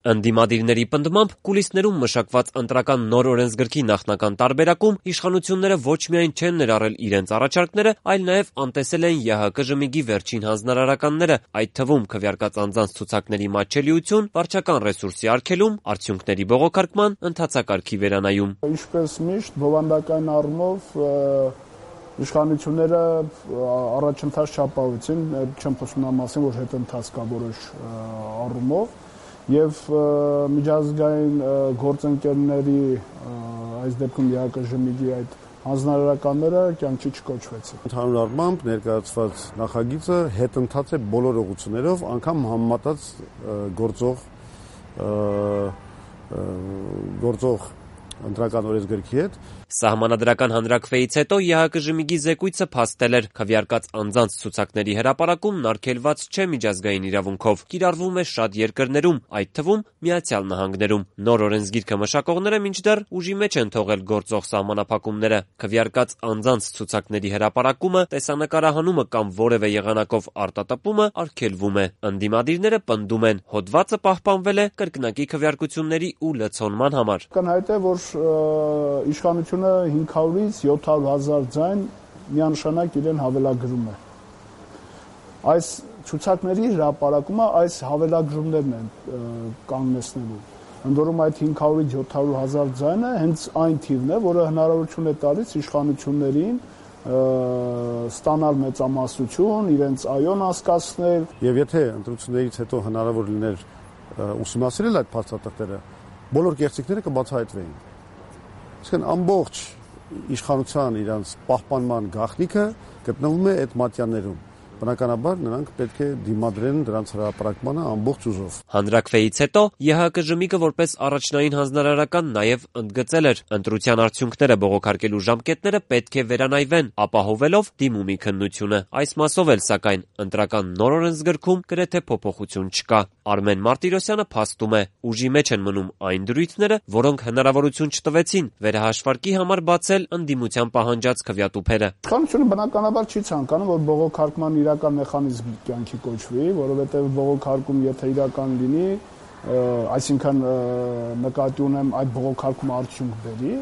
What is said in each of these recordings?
Ընդդիմադիրների պնդմամբ կուլիսներում մշակված ընտրական նոր օրենսգրքի նախնական տարբերակում իշխանությունները ոչ միայն չեն ներառել իրենց առաջարկները, այլ նաև անտեսել են ԵՀԿ ժմիգի վերջին հանձնարարականները, այդ թվում քվեարկած անձանց ցուցակների մատչելիություն, վարչական ռեսուրսի արգելում, արդյունքների բողոքարկման ընթացակարգի վերանայում։ Ինչպես միշտ բովանդակային առումով իշխանությունները առաջընթաց չապահովեցին, չեմ խոսում նրա մասին, որ հետընթաց կա որոշ առումով, եւ միջազգային գործընկերների այս դեպքում ԵՀԿ ժմիգի այդ հանձնարարականները կյանքի չկոչվեցին։ Ընդհանուր առմամբ ներկայացված նախագիծը հետընթաց է բոլոր ուղղություններով, անգամ համեմատած գործող ընտրական օրենսգրքի հետ։ Սահմանադրական հանրաքվեից հետո ԵՀԿ ժմիգի զեկույցը փաստել էր քվեարկած անձանց ցուցակների հրապարակումն արգելված չէ միջազգային իրավունքով, կիրառվում է շատ երկրներում, այդ թվում Միացյալ Նահանգներում։ Նոր օրենսգիրքը մշակողները մինչդեռ ուժի մեջ են թողել գործող սահմանափակումները։ Քվեարկած անձանց ցուցակների հրապարակումը, տեսանկարահանումը կամ որևէ եղանակով արտատպումը արգելվում է։ Ընդդիմադիրները պնդում են, հոդվածը պահպանվել է կրկնակի քվեարկությունների ու լցոնման համար։ Ակնհայտ է, որ իշխանությունը 500-ից 700,000 ձայն միանշանակ իրեն հավելագրում է։ Այս ցուցակների հրապարակումը այս հավելագրումներն են կանգնեցնելու։ Ընդ որում այդ 500-ից 700,000 ձայնը հենց այն թիվն է, որը հնարավորություն է տալիս իշխանություններին ստանալ մեծամասնություն, իրենց այոն հասկացնել։ Եվ եթե ընտրություններից հետո հնարավոր լիներ ուսումնասիրել այդ փաստաթղթերը, բոլոր կեղծիքները կբացահայտվեին։ Իսկն ամբողջ իշխանության իրանց պահպանման գաղտնիքը գտնվում է այդ մատյաններում։ Բնականաբար նրանք պետք է դիմադրեն դրանց հրապարակմանը ամբողջ ուժով։ Հանրաքվեից հետո ԵՀԿ ժմիգը որպես առաջնային հանձնարարական նաև ընդգծել էր, ընտրության արդյունքները բողոքարկելու ժամկետները պետք է վերանայվեն, ապահովելով դիմումի քննությունը։ Այս մասով էլ սակայն ընտրական նոր օրենսգրքում գրեթե փոփոխություն չկա։ Արմեն Մարտիրոսյանը փաստում է, ուժի մեջ են մնում այն դրույթները, որոնք հնարավորություն չտվեցին վերահաշվարկի համար բացել ընդդիմության պահանջած քվեատուփերը։ Իշխանությունը բնականաբար չի ցանկանում, որ բողոքարկման իրական մեխանիզմ կյանքի կոչվի, որովհետև բողոքարկում եթե իրական լինի, այսինքն նկատի ունեմ այդ բողոքարկումը արդյունք բերի,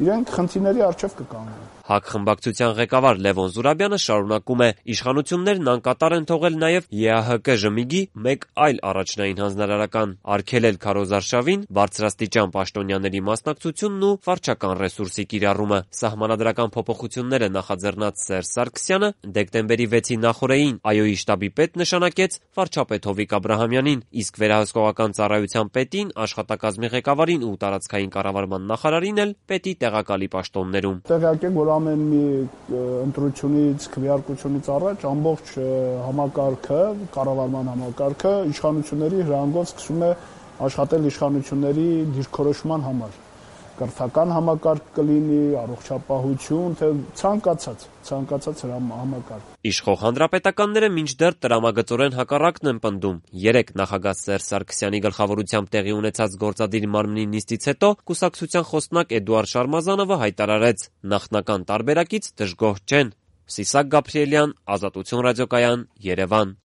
իրենք խնդիրների առջև կկանգնեն։ ՀԱԿ խմբակցության ղեկավար Լևոն Զուրաբյանը շարունակում է. իշխանություններն անկատար են թողել նաև ԵԱՀԿ ժմիգի մեկ այլ առաջնային հանձնարարական՝ արգելել քարոզարշավին, բարձրաստիճան պաշտոնյաների մասնակցությունն ու վարչական ռեսուրսի կիրառումը։ Սահմանադրական փոփոխությունները նախաձեռնած Սերժ Սարգսյանը դեկտեմբերի 6-ի նախօրեին ԱՅՈ-ի շտաբի պետ նշանակեց վարչապետ Հովիկ Աբրահամյանին, իսկ վերահսկողական ծառայության պետին, աշխատակազմի ղեկավարին ու տարածքային կառավարման նախարարին էլ պետի տեղակալի պաշտոններում։ Տեղյակ եք, որ ամեն մի ընտրությունից, քվեարկությունից առաջ ամբողջ համակարգը, կառավարման համակարգը իշխանությունների հրահանգով սկսում է աշխատել իշխանությունների դիրքորոշման համար։ Կրթական համակարգ կլինի, առողջապահություն, թե ցանկացած համակարգ։ Իշխող հանրապետականները մինչդեռ տրամագծորեն հակառակն են պնդում։ Երեկ նախագահ Սերժ Սարգսյանի գլխավորությամբ տեղի ունեցած գործադիր մարմնի նիստից հետո կուսակցության խոսնակ Էդուարդ Շարմազանովը հայտարարեց. նախնական տարբերակից դժգոհ չեն։ Սիսակ Գաբրիելյան, Ազատություն ռադիոկայան, Երևան։